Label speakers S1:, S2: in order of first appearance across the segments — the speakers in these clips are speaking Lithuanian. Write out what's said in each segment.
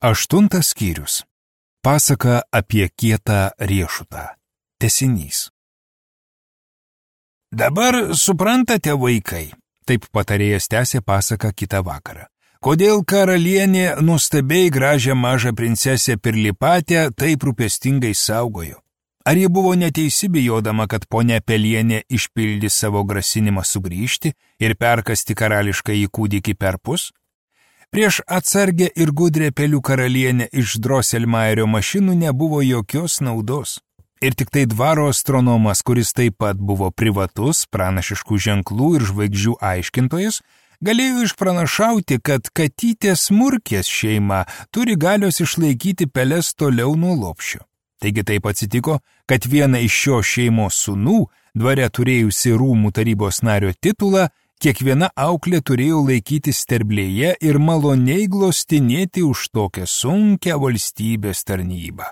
S1: 8 skyrius. Pasaka apie kietą riešutą. Tęsinys. Dabar suprantate, vaikai, taip patarėjas tęsė pasaką kitą vakarą. Kodėl karalienė nuostabiai gražią mažą princesę Pirlipatę taip rūpestingai saugojo? Ar ji buvo neteisi bijodama, kad ponia Pelienė išpildys savo grasinimą sugrįžti ir perkasti karališkąjį kūdikį perpus? Prieš atsargę ir gudrę pelių karalienę iš Drosselmayerio mašinų nebuvo jokios naudos. Ir tik tai dvaro astronomas, kuris taip pat buvo privatus, pranašiškų ženklų ir žvaigždžių aiškintojas, galėjo išpranašauti, kad katytės Murkės šeima turi galios išlaikyti peles toliau nuo lopšio. Taigi taip atsitiko, kad viena iš šio šeimos sūnų, dvare turėjusi rūmų tarybos nario titulą, kiekviena auklė turėjo laikyti sterblėje ir maloniai glostinėti už tokią sunkią valstybės tarnybą.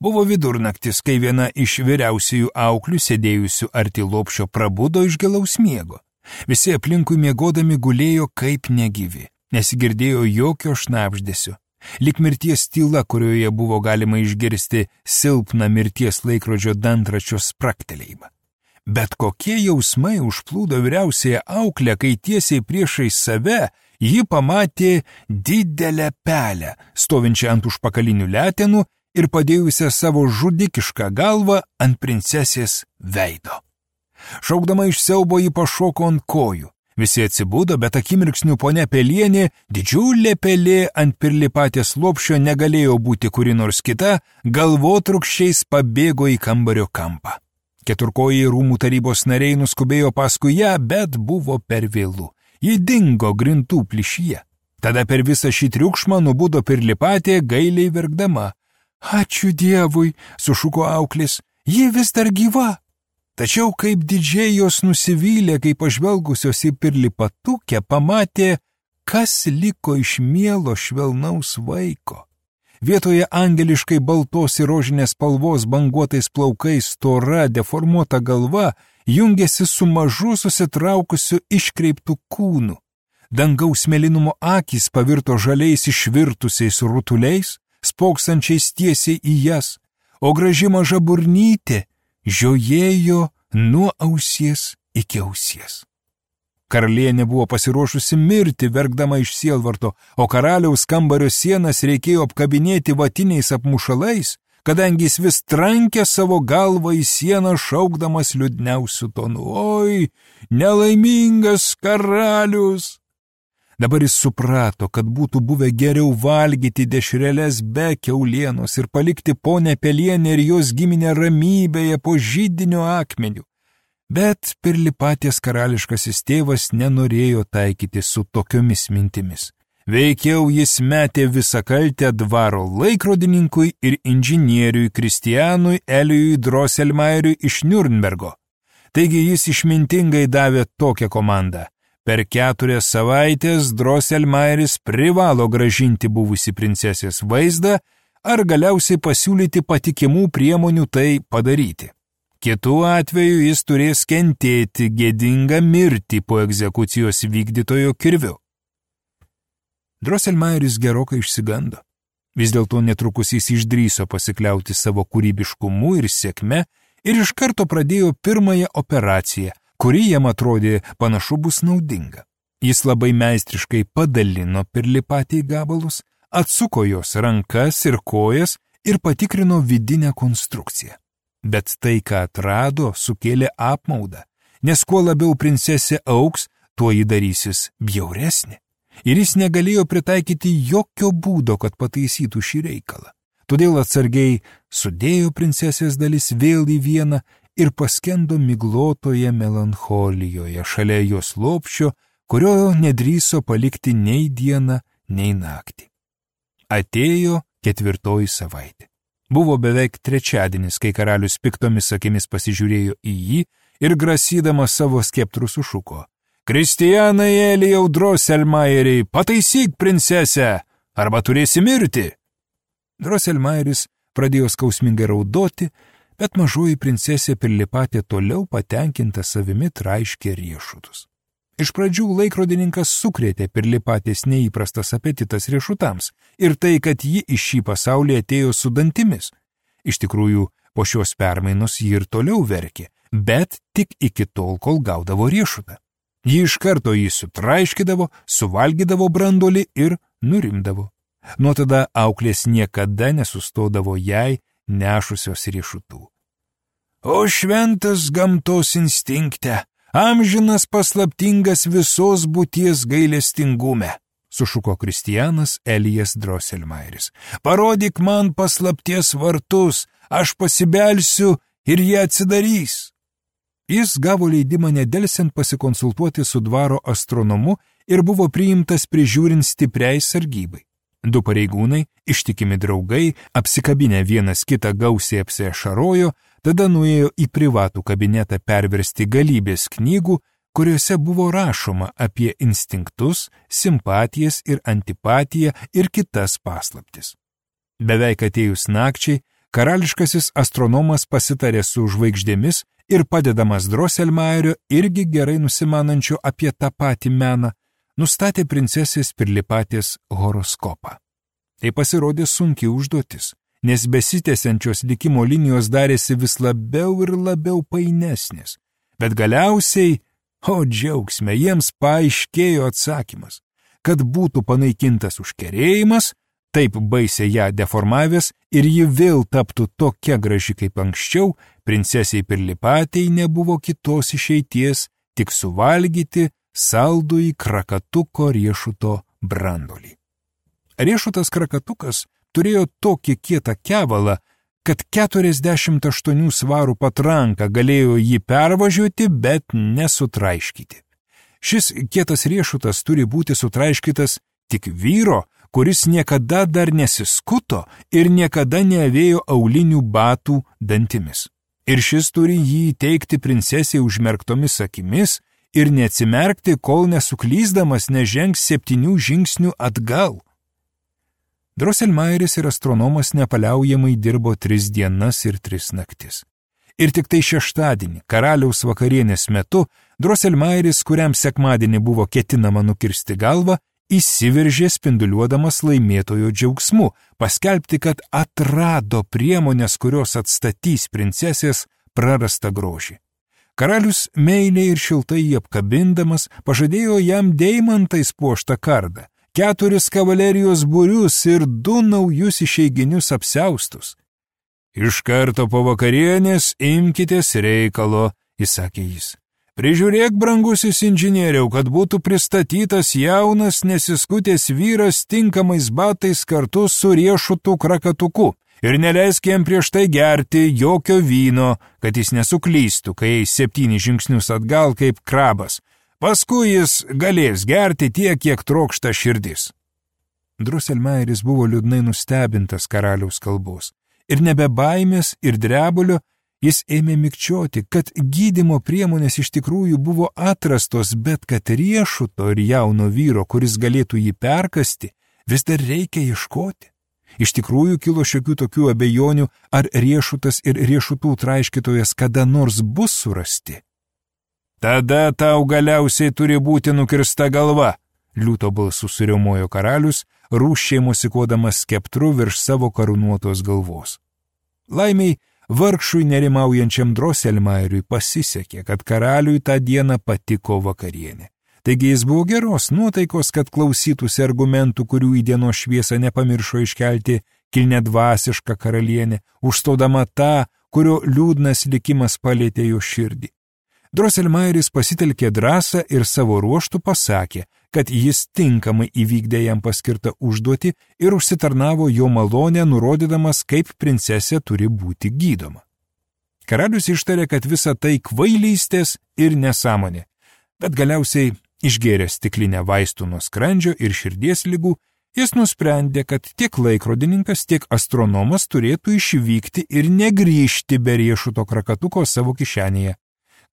S1: Buvo vidurnaktis, kai viena iš vyriausiųjų auklių sėdėjusių arti lopšio prabudo iš gilaus miego. Visi aplinkui miegodami gulėjo kaip negyvi, nesigirdėjo jokio šnabždesio. Lyg mirties tyla, kurioje buvo galima išgirsti silpną mirties laikrodžio dantračio spragtelėjimą. Bet kokie jausmai užplūdo vyriausiąją auklę, kai tiesiai priešais save ji pamatė didelę pelę, stovinčią ant užpakalinių letenų ir padėjusią savo žudikišką galvą ant princesės veido. Šaukdama iš siaubo ji pašoko ant kojų. Visi atsibudo, bet akimirksniu ponia Pelienė, didžiulė pelė ant Pirlipatės lopšio negalėjo būti kuri nors kita, galvotrūkščiais pabėgo į kambario kampą. Keturkojai rūmų tarybos nariai nuskubėjo paskui ją, bet buvo per vėlu. Ji dingo grindų plyšyje. Tada per visą šį triukšmą nubudo Pirlipatė gailiai verkdama. Ačiū Dievui, sušuko auklis, ji vis dar gyva. Tačiau kaip didžiai jos nusivylė, kai pažvelgusios į Pirlipatukę pamatė, kas liko iš mielo švelnaus vaiko. Vietoje angeliškai baltos ir rožinės spalvos banguotais plaukais stora deformuota galva jungėsi su mažu susitraukusiu iškreiptų kūnu. Dangaus mėlynumo akys pavirto žaliais išvirtusiais rutuliais, spoksančiais tiesiai į jas, o graži maža burnytė žiojėjo nuo ausies iki ausies. Karalienė buvo pasiruošusi mirti, verkdama iš sielvarto, o karaliaus kambario sienas reikėjo apkabinėti vatiniais apmušalais, kadangi jis vis trankė savo galvą į sieną, šaukdamas liūdniausiu tonu. Oi, nelaimingas karalius! Dabar jis suprato, kad būtų buvę geriau valgyti dešreles be kiaulienos ir palikti ponę Pelienę ir jos giminę ramybėje po židinio akmeniu. Bet Pirlipatės karališkasis tėvas nenorėjo taikyti su tokiomis mintimis. Veikiau jis metė visą kaltę dvaro laikrodininkui ir inžinieriui Kristianui Elijui Drosselmayeriui iš Niurnbergo. Taigi jis išmintingai davė tokią komandą. Per 4 savaitės Drosselmayeris privalo gražinti buvusi princesės vaizdą ar galiausiai pasiūlyti patikimų priemonių tai padaryti. Kitu atveju jis turės kentėti gėdingą mirtį po egzekucijos vykdytojo kirviu. Drosselmayeris gerokai išsigando. Vis dėlto netrukus jis išdrįso pasikliauti savo kūrybiškumu ir sėkme ir iš karto pradėjo pirmąją operaciją, kuri jam atrodė panašu bus naudinga. Jis labai meistriškai padalino Pirlipatę į gabalus, atsuko jos rankas ir kojas ir patikrino vidinę konstrukciją. Bet tai, ką atrado, sukėlė apmaudą, nes kuo labiau princesė auks, tuo ji darysis bjauresnė. Ir jis negalėjo pritaikyti jokio būdo, kad pataisytų šį reikalą. Todėl atsargiai sudėjo princesės dalis vėl į vieną ir paskendo miglotoje melancholijoje šalia jos lopšio, kurio nedrįso palikti nei dieną, nei naktį. Atėjo 4 savaitė. Buvo beveik trečiadienis, kai karalius piktomis akimis pasižiūrėjo į jį ir grasydamas savo skeptrų sušuko. Kristianai Elijau Drosselmayeriai, pataisyk princesę, arba turėsi mirti. Drosselmayeris pradėjo skausmingai raudoti, bet mažoji princesė Pirlipatė toliau patenkinta savimi traiškė riešutus. Iš pradžių laikrodininkas sukrėtė Pirlipatės neįprastas apetitas riešutams ir tai, kad ji iš šį pasaulį atėjo su dantimis. Iš tikrųjų, po šios permainos ji ir toliau verkė, bet tik iki tol, kol gaudavo riešutą. Ji iš karto jį sutraiškydavo, suvalgydavo brandolį ir nurimdavo. Nuo tada auklės niekada nesustodavo jai nešusios riešutų. O šventas gamtos instinkte, amžinas paslaptingas visos būties gailestingume, sušuko Kristianas Elijas Drosselmayeris. Parodyk man paslapties vartus, aš pasibelsiu ir jie atsidarys. Jis gavo leidimą nedelsiant pasikonsultuoti su dvaro astronomu ir buvo priimtas prižiūrint stipriai sargybai. Du pareigūnai, ištikimi draugai, apsikabinę vienas kitą gausiai apsiašarojo, tada nuėjo į privatų kabinetą perversti galybės knygų, kuriuose buvo rašoma apie instinktus, simpatijas ir antipatiją ir kitas paslaptis. Beveik atėjus nakčiai, karališkasis astronomas pasitarė su žvaigždėmis ir padedamas Drosselmayerio irgi gerai nusimanančio apie tą patį meną, nustatė princesės Pirlipatės horoskopą. Tai pasirodė sunki užduotis, nes besitęsiančios likimo linijos darėsi vis labiau ir labiau painesnės. Bet galiausiai, o džiaugsme, jiems paaiškėjo atsakymas, kad būtų panaikintas užkerėjimas, taip baisiai ją deformavęs ir ji vėl taptų tokia graži kaip anksčiau, princesiai Pirlipatei nebuvo kitos išeities, tik suvalgyti saldųjį krakatuko riešuto brandolį. Riešutas krakatukas turėjo tokį kietą kevalą, kad 48 svarų patranka galėjo jį pervažiuoti, bet nesutraiškyti. Šis kietas riešutas turi būti sutraiškytas tik vyro, kuris niekada dar nesiskuto ir niekada neavėjo aulinių batų dantimis. Ir šis turi jį įteikti princesei užmerktomis akimis ir neatsimerkti, kol nesuklysdamas nežengs 7 žingsnių atgal. Drosselmayeris ir astronomas nepaliaujamai dirbo 3 dienas ir 3 naktis. Ir tik tai šeštadienį, karaliaus vakarienės metu, Drosselmayeris, kuriam sekmadienį buvo ketinama nukirsti galvą, įsiveržė spinduliuodamas laimėtojo džiaugsmu, paskelbti, kad atrado priemonės, kurios atstatys princesės prarastą grožį. Karalius meiliai ir šiltai jį apkabindamas pažadėjo jam deimantais puoštą kardą, 4 kavalerijos būrius ir 2 naujus išeiginius apsiaustus. Iš karto po vakarienės imkitės reikalo, įsakė jis. Prižiūrėk, brangusis inžinieriau, kad būtų pristatytas jaunas nesiskutęs vyras tinkamais batais kartu su riešutų krakatuku ir neleisk jam prieš tai gerti jokio vyno, kad jis nesuklystų, kai eis 7 žingsnius atgal kaip krabas. Paskui jis galės gerti tiek, kiek trokšta širdis. Drosselmayeris buvo liūdnai nustebintas karaliaus kalbos ir nebe baimės ir drebulio jis ėmė mikčioti, kad gydymo priemonės iš tikrųjų buvo atrastos, bet kad riešuto ir jauno vyro, kuris galėtų jį perkasti, vis dar reikia ieškoti. Iš tikrųjų kilo šiokių tokių abejonių, ar riešutas ir riešutų traiškytojas kada nors bus surasti. Tada tau galiausiai turi būti nukirsta galva, liūto balsu suriaumojo karalius, rūsčiai mosikuodamas skeptru virš savo karūnuotos galvos. Laimiai, vargšui nerimaujančiam Drosselmayeriui pasisekė, kad karaliui tą dieną patiko vakarienė. Taigi jis buvo geros nuotaikos, kad klausytųsi argumentų, kurių į dienos šviesą nepamiršo iškelti kilniadvasiška karalienė, užstodama tą, kurio liūdnas likimas palėtė jo širdį. Drosselmayeris pasitelkė drąsą ir savo ruoštų pasakė, kad jis tinkamai įvykdė jam paskirtą užduotį ir užsitarnavo jo malonę, nurodydamas, kaip princesė turi būti gydoma. Karalius ištarė, kad visa tai kvailystės ir nesąmonė, bet galiausiai išgėręs stiklinę vaistų nuo skrandžio ir širdies ligų, jis nusprendė, kad tiek laikrodininkas, tiek astronomas turėtų išvykti ir negrįžti be riešuto krakatuko savo kišenėje.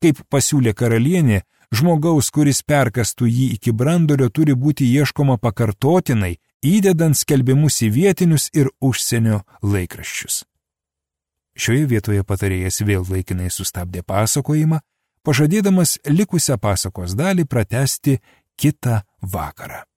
S1: Kaip pasiūlė karalienė, žmogaus, kuris perkastų jį iki brandolio, turi būti ieškoma pakartotinai, įdedant skelbimus į vietinius ir užsienio laikraščius. Šioje vietoje patarėjas vėl laikinai sustabdė pasakojimą, pažadėdamas likusią pasakos dalį pratęsti kitą vakarą.